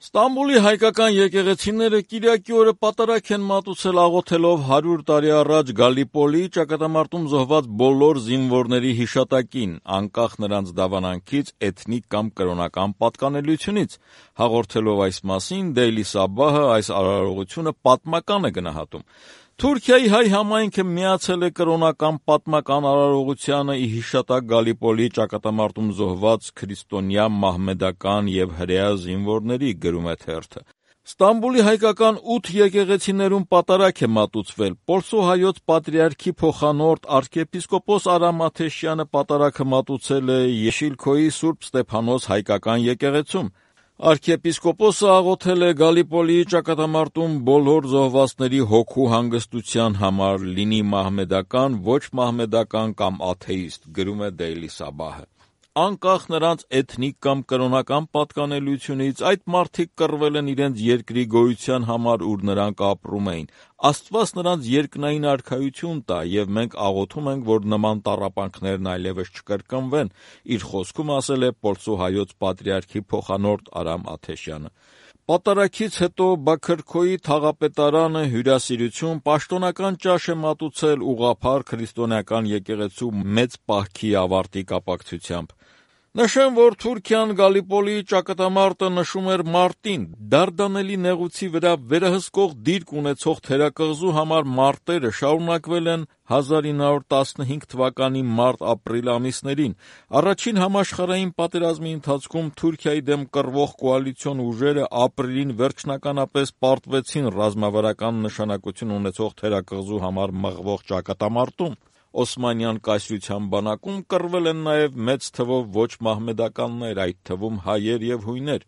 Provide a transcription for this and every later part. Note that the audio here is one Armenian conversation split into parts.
Ստամբուլի հայկական եկեղեցիները Կիրակի օրը պատարագ են մատուցել աղոթելով 100 տարի առաջ Գալիպոլի ճակատամարտում զոհված բոլոր զինվորների հիշատակին, անկախ նրանց դավանանքից, էթնիկ կամ կրոնական պատկանելությունից։ Հաղորդելով այս մասին, Daily Sabah-ը այս արարողությունը պատմական է գնահատում։ Թուրքիայի հայ համայնքը միացել է կրոնական պատմական արարողությանը ի հիշատակ Գալիպոլի ճակատամարտում զոհված քրիստոնյա, մահմեդական և հրեա զինվորների, գրում է թերթը։ Ստամբուլի հայկական 8 եկեղեցիներում պատարագ է մատուցվել։ Պոլսո հայոց պատրիարքի փոխանորդ arczepiskopos Aram Ateşyanը պատարագը մատուցել է Yeşilköy Սուրբ Ստեփանոս հայկական եկեղեցում։ Arczepiskopos-ը աղոթել է Գալիպոլի ճակատամարտում բոլոր զոհվածների հոգու հանգստության համար, լինի մահմեդական, ոչ մահմեդական կամ աթեիստ, գրում է Daily Sabah-ը։ Անկախ նրանց էթնիկ կամ կրոնական պատկանելությունից, այդ մարդիկ կռվել են իրենց երկրի գոյության համար, ուր նրանք ապրում էին։ Աստված նրանց երկնային արքայություն տա, և մենք աղոթում ենք, որ նման տառապանքներն այլևս չկրկնվեն, իր խոսքում ասել է Պոլսո հայոց պատրիարքի փոխանորդ Արամ Աթեշյանը։ Պատարագից հետո Բաքրքոյի թաղապետարանը հյուրասիրություն, պաշտոնական ճաշ է մատուցել ուղղափառ քրիստոնեական եկեղեցու մեծ պահքի ավարտի կապակցությամբ։ Նշեմ, որ Թուրքիան Գալիպոլի ճակատամարտը նշում էր մարտին։ Դարդանելի նեղուցի վրա վերահսկող դիրք ունեցող թերակղզու համար մարտերը շարունակվել են 1915 թվականի մարտ-ապրիլ ամիսներին։ Առաջին համաշխարհային պատերազմի ընթացքում Թուրքիայի դեմ կռվող կոալիցիոն ուժերը ապրիլին վերջնականապես պարտվեցին ռազմավարական նշանակություն ունեցող թերակղզու համար մղվող ճակատամարտում։ Օսմանյան կայսրության բանակում կռվել են նաև մեծ թվով ոչ մահմեդականներ, այդ թվում հայեր և հույներ։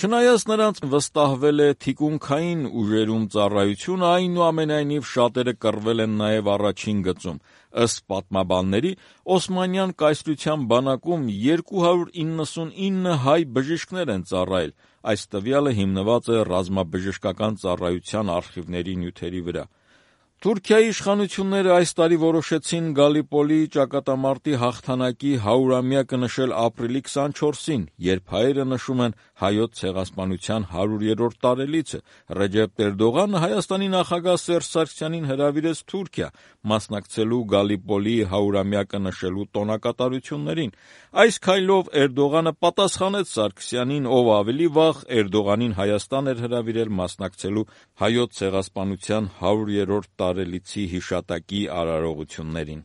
Չնայած նրանց վստահվել է թիկունքային ուժերում ծառայությունը, այնուամենայնիվ շատերը կռվել են նաև առաջին գծում։ Ըստ պատմաբանների, Օսմանյան կայսրության բանակում 299 հայ բժիշկներ են ծառայել։ Այս տվյալը հիմնված է ռազմաբժշկական ծառայության արխիվների նյութերի վրա։ Թուրքիայի իշխանությունները այս տարի որոշեցին Գալիպոլի ճակատամարտի հաղթանակի 100-ամյակը նշել ապրիլի 24-ին, երբ հայերը նշում են հայոց ցեղասպանության 100-րդ տարելիցը։ Ռեջեփ Էրդողանը Հայաստանի նախագահ Սերժ Սարգսյանին հրավիրեց Թուրքիա, մասնակցելու Գալիպոլի 100-ամյակը նշելու տոնակատարություններին։ Այս քայլով Էրդողանը պատասխանեց Սարգսյանին, ով ավելի վաղ Էրդողանին Հայաստան էր հրավիրել մասնակցելու հայոց ցեղասպանության 100-րդ տարելիցի հիշատակի արարողություններին։